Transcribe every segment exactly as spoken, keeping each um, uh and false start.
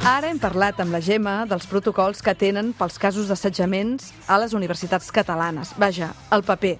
Ara hem parlat amb la Gemma dels protocols que tenen pels casos d'assetjaments a les universitats catalanes. Vaja, el paper.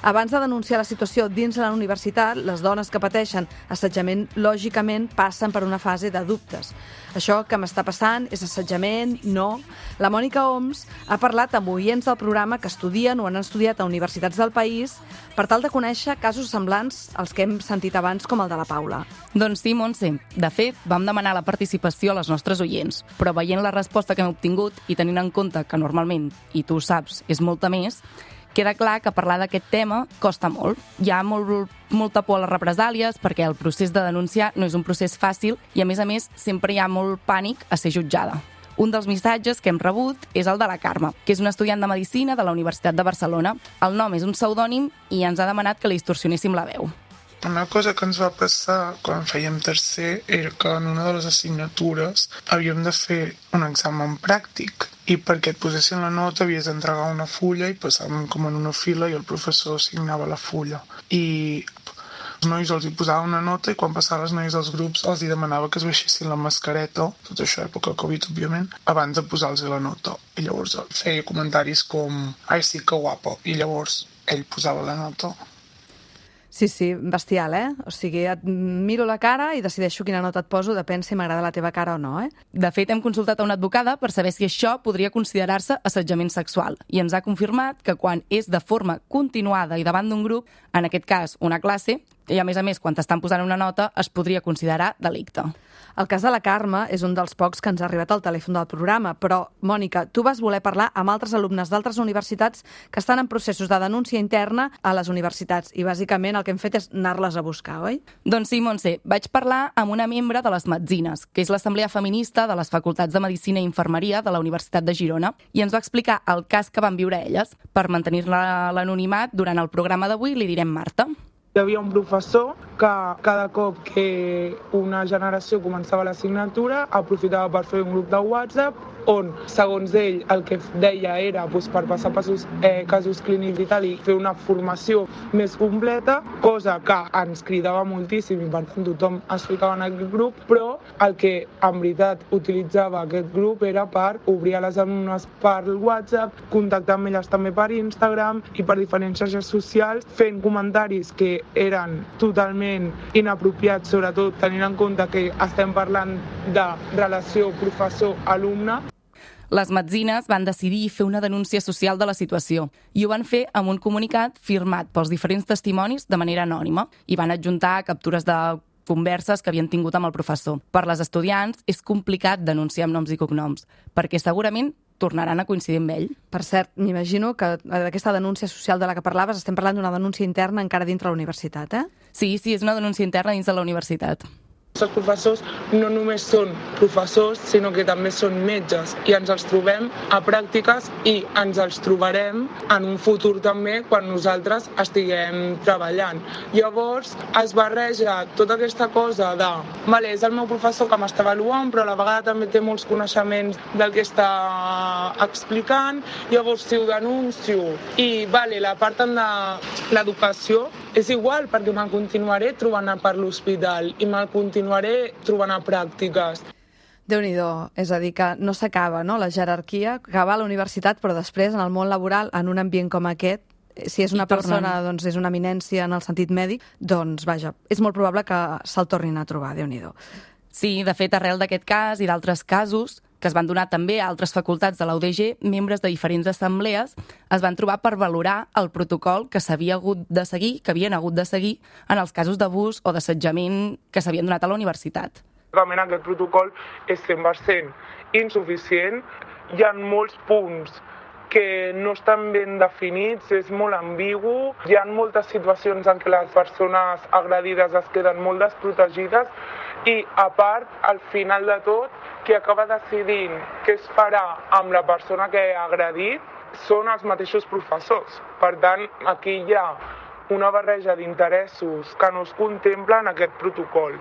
Abans de denunciar la situació dins la universitat, les dones que pateixen assetjament, lògicament, passen per una fase de dubtes. Això que m'està passant és assetjament? No. La Mònica Oms ha parlat amb oients del programa que estudien o han estudiat a universitats del país per tal de conèixer casos semblants als que hem sentit abans, com el de la Paula. Doncs sí, Montse. De fet, vam demanar la participació a les nostres oients, però veient la resposta que hem obtingut i tenint en compte que normalment, i tu ho saps, és molta més, queda clar que parlar d'aquest tema costa molt. Hi ha molt, molta por a les represàlies perquè el procés de denunciar no és un procés fàcil i, a més a més, sempre hi ha molt pànic a ser jutjada. Un dels missatges que hem rebut és el de la Carme, que és una estudiant de Medicina de la Universitat de Barcelona. El nom és un pseudònim i ens ha demanat que li distorsionéssim la veu. Una cosa que ens va passar quan fèiem tercer era que en una de les assignatures havíem de fer un examen pràctic i perquè et posessin la nota havies d'entregar una fulla i passàvem com en una fila i el professor assignava la fulla. I els nois els hi posava una nota i quan passaven les noies dels grups els hi demanava que es baixessin la mascareta, tot això època Covid, òbviament, abans de posar-los la nota. I llavors feia comentaris com «Ai, sí, que guapo», i llavors ell posava la nota. Sí, sí, bestial, eh? O sigui, et miro la cara i decideixo quina nota et poso, depèn si m'agrada la teva cara o no, eh? De fet, hem consultat a una advocada per saber si això podria considerar-se assetjament sexual i ens ha confirmat que quan és de forma continuada i davant d'un grup, en aquest cas una classe, i a més a més quan t'estan posant una nota, es podria considerar delicte. El cas de la Carme és un dels pocs que ens ha arribat al telèfon del programa, però, Mònica, tu vas voler parlar amb altres alumnes d'altres universitats que estan en processos de denúncia interna a les universitats i, bàsicament, el que hem fet és anar-les a buscar, oi? Doncs sí, Montse. Vaig parlar amb una membre de les Metzines, que és l'assemblea feminista de les facultats de Medicina i Infermeria de la Universitat de Girona, i ens va explicar el cas que van viure elles. Per mantenir-la l'anonimat, durant el programa d'avui li direm Marta. Hi havia un professor que cada cop que una generació començava l'assignatura aprofitava per fer un grup de WhatsApp on, segons ell, el que deia era doncs, per passar passos, eh, casos clínics i tal i fer una formació més completa, cosa que ens cridava moltíssim i per tant tothom es ficava en aquest grup, però el que en veritat utilitzava aquest grup era per obrir a les alumnes per WhatsApp, contactar amb elles també per Instagram i per diferents xarxes socials, fent comentaris que eren totalment inapropiats, sobretot tenint en compte que estem parlant de relació professor-alumne. Les Metzines van decidir fer una denúncia social de la situació i ho van fer amb un comunicat firmat pels diferents testimonis de manera anònima i van adjuntar captures de converses que havien tingut amb el professor. Per les estudiants és complicat denunciar amb noms i cognoms, perquè segurament tornaran a coincidir amb ell. Per cert, m'imagino que d'aquesta denúncia social de la que parlaves estem parlant d'una denúncia interna encara dintre la universitat, eh? Sí, sí, és una denúncia interna dins de la universitat. Els professors no només són professors, sinó que també són metges i ens els trobem a pràctiques i ens els trobarem en un futur també quan nosaltres estiguem treballant. Llavors es barreja tota aquesta cosa de vale, és el meu professor que m'està avaluant però a la vegada també té molts coneixements del que està explicant, llavors si ho denuncio i vale, la part de l'educació és igual perquè me'l continuaré trobant per l'hospital i me'l continuaré trobant a pràctiques. Déu-n'hi-do, és a dir, que no s'acaba, no?, la jerarquia, que va a la universitat, però després, en el món laboral, en un ambient com aquest, si és una persona, doncs és una eminència en el sentit mèdic, doncs, vaja, és molt probable que se'l tornin a trobar, Déu-n'hi-do. Sí, de fet, arrel d'aquest cas i d'altres casos que es van donar també a altres facultats de la U D G, membres de diferents assemblees es van trobar per valorar el protocol que s'havia hagut de seguir, que havien hagut de seguir en els casos d'abús o d'assetjament que s'havien donat a la universitat. Realment aquest protocol és cent per cent insuficient. Hi ha molts punts que no estan ben definits, és molt ambigu. Hi ha moltes situacions en què les persones agredides es queden molt desprotegides i, a part, al final de tot, qui acaba decidint què es farà amb la persona que ha agredit són els mateixos professors. Per tant, aquí hi ha una barreja d'interessos que no es contempla en aquest protocol.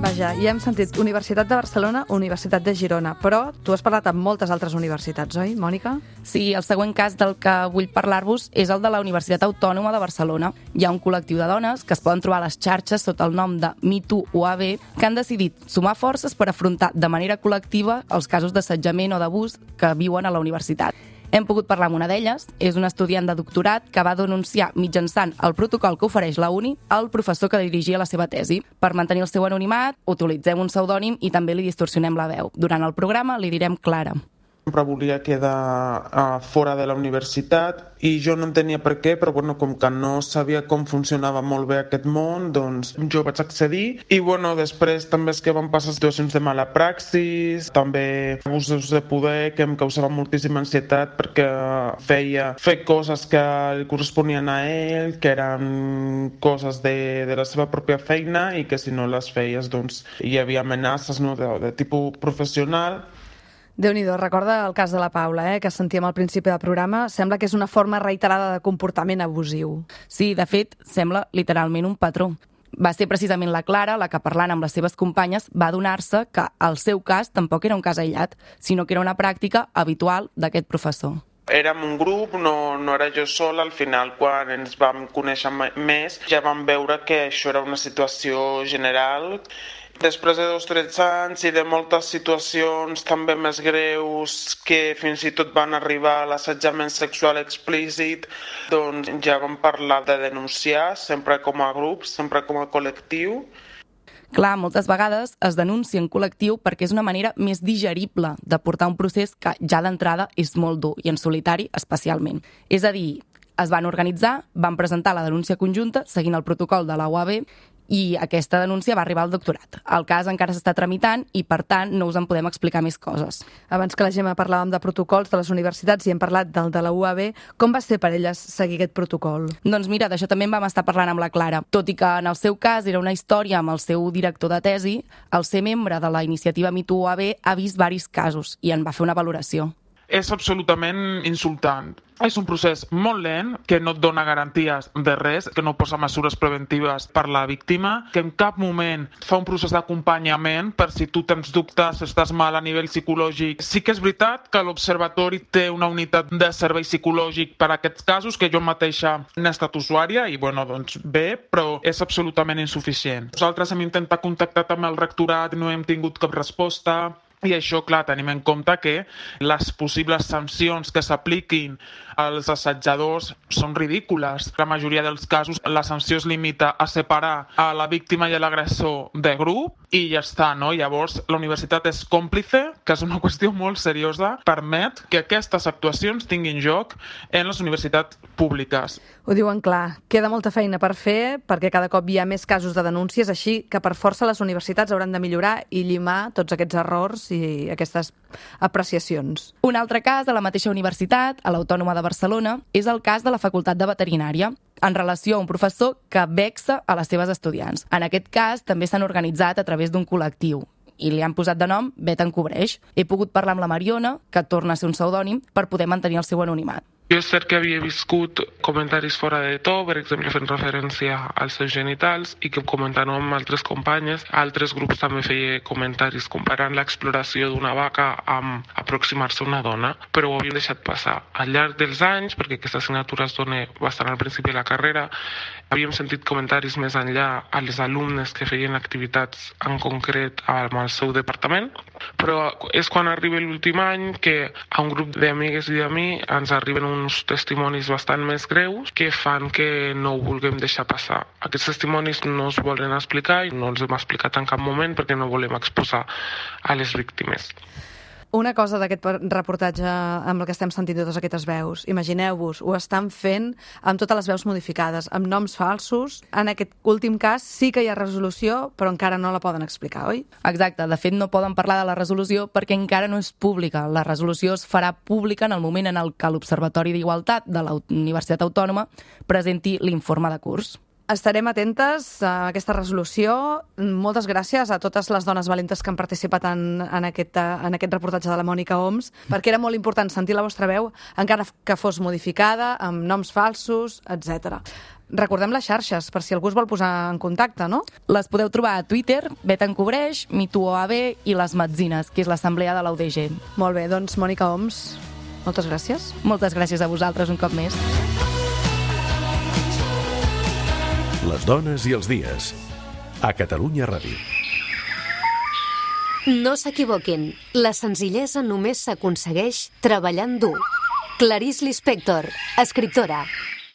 Vaja, Mira, ja hem sentit Universitat de Barcelona, Universitat de Girona, però tu has parlat amb moltes altres universitats, oi, Mònica? Sí, el següent cas del que vull parlar-vos és el de la Universitat Autònoma de Barcelona. Hi ha un col·lectiu de dones que es poden trobar a les xarxes sota el nom de Me Too U A B que han decidit sumar forces per afrontar de manera col·lectiva els casos d'assetjament o d'abús que viuen a la universitat. Hem pogut parlar amb una d'elles, és una estudiant de doctorat que va denunciar mitjançant el protocol que ofereix la uni al professor que dirigia la seva tesi. Per mantenir el seu anonimat, utilitzem un pseudònim i també li distorsionem la veu. Durant el programa li direm Clara. Sempre volia quedar uh, fora de la universitat i jo no entenia per què, però bueno, com que no sabia com funcionava molt bé aquest món, doncs jo vaig accedir i bueno, després també és que van passar situacions de mala praxis, també abusos de poder que em causaven moltíssima ansietat perquè feia fer coses que li corresponien a ell, que eren coses de, de la seva pròpia feina i que si no les feies doncs hi havia amenaces, no, de, de tipus professional. Déu-n'hi-do, recorda el cas de la Paula, eh, que sentíem al principi del programa. Sembla que és una forma reiterada de comportament abusiu. Sí, de fet, sembla literalment un patró. Va ser precisament la Clara la que, parlant amb les seves companyes, va adonar-se que el seu cas tampoc era un cas aïllat, sinó que era una pràctica habitual d'aquest professor. Érem un grup, no, no era jo sola. Al final, quan ens vam conèixer més, ja vam veure que això era una situació general. Després de dos o tres anys i de moltes situacions també més greus que fins i tot van arribar a l'assetjament sexual explícit, doncs ja vam parlar de denunciar, sempre com a grup, sempre com a col·lectiu. Clar, moltes vegades es denuncia en col·lectiu perquè és una manera més digerible de portar un procés que ja d'entrada és molt dur i en solitari especialment. És a dir, es van organitzar, van presentar la denúncia conjunta seguint el protocol de la U A B i aquesta denúncia va arribar al doctorat. El cas encara s'està tramitant i, per tant, no us en podem explicar més coses. Abans que la Gemma parlàvem de protocols de les universitats i hem parlat del de la U A B, com va ser per elles seguir aquest protocol? Doncs mira, d'això també en vam estar parlant amb la Clara. Tot i que en el seu cas era una història amb el seu director de tesi, el ser membre de la iniciativa Me Too U A B ha vist diversos casos i en va fer una valoració. És absolutament insultant. És un procés molt lent, que no et dona garanties de res, que no posa mesures preventives per la víctima, que en cap moment fa un procés d'acompanyament per si tu tens dubtes, estàs mal a nivell psicològic. Sí que és veritat que l'Observatori té una unitat de servei psicològic per a aquests casos, que jo mateixa n'he estat usuària i, bueno, doncs bé, però és absolutament insuficient. Nosaltres hem intentat contactar amb el rectorat i no hem tingut cap resposta. I això, clar, tenim en compte que les possibles sancions que s'apliquin als assetjadors són ridícules. La majoria dels casos la sanció es limita a separar a la víctima i a l'agressor de grup i ja està, no? Llavors, la universitat és còmplice, que és una qüestió molt seriosa, permet que aquestes actuacions tinguin lloc en les universitats públiques. Ho diuen clar, queda molta feina per fer perquè cada cop hi ha més casos de denúncies, així que per força les universitats hauran de millorar i llimar tots aquests errors i aquestes apreciacions. Un altre cas de la mateixa universitat, a l'Autònoma de Barcelona, és el cas de la Facultat de Veterinària, en relació a un professor que vexa a les seves estudiants. En aquest cas també s'han organitzat a través d'un col·lectiu i li han posat de nom Bet en Cobreix. He pogut parlar amb la Mariona, que torna a ser un pseudònim, per poder mantenir el seu anonimat. Jo és cert que havia viscut comentaris fora de to, per exemple fent referència als seus genitals i que comentant amb altres companyes, altres grups també feia comentaris comparant l'exploració d'una vaca amb aproximar-se a una dona, però ho havia deixat passar. Al llarg dels anys, perquè aquesta assignatura es dona bastant al principi de la carrera, havíem sentit comentaris més enllà a les alumnes que feien activitats en concret amb el seu departament, però és quan arriba l'últim any que a un grup d'amigues i a mi ens arriben un uns testimonis bastant més greus que fan que no ho vulguem deixar passar. Aquests testimonis no es volen explicar i no els hem explicat en cap moment perquè no volem exposar a les víctimes. Una cosa d'aquest reportatge amb el que estem sentint totes aquestes veus, imagineu-vos, ho estan fent amb totes les veus modificades, amb noms falsos. En aquest últim cas sí que hi ha resolució, però encara no la poden explicar, oi? Exacte, de fet no poden parlar de la resolució perquè encara no és pública. La resolució es farà pública en el moment en el que l'Observatori d'Igualtat de la Universitat Autònoma presenti l'informe de curs. Estarem atentes a aquesta resolució. Moltes gràcies a totes les dones valentes que han participat en, en, aquest, en aquest reportatge de la Mònica Oms, perquè era molt important sentir la vostra veu, encara que fos modificada, amb noms falsos, etcètera. Recordem les xarxes, per si algú es vol posar en contacte, no? Les podeu trobar a Twitter, Bet en Cobreix, MeTooOAB i Les Metzines, que és l'assemblea de l'U D G. Molt bé, doncs Mònica Oms, moltes gràcies. Moltes gràcies a vosaltres un cop més. Les dones i els dies. A Catalunya Ràdio. No s'equivoquin, la senzillesa només s'aconsegueix treballant dur. Clarice Lispector, escriptora.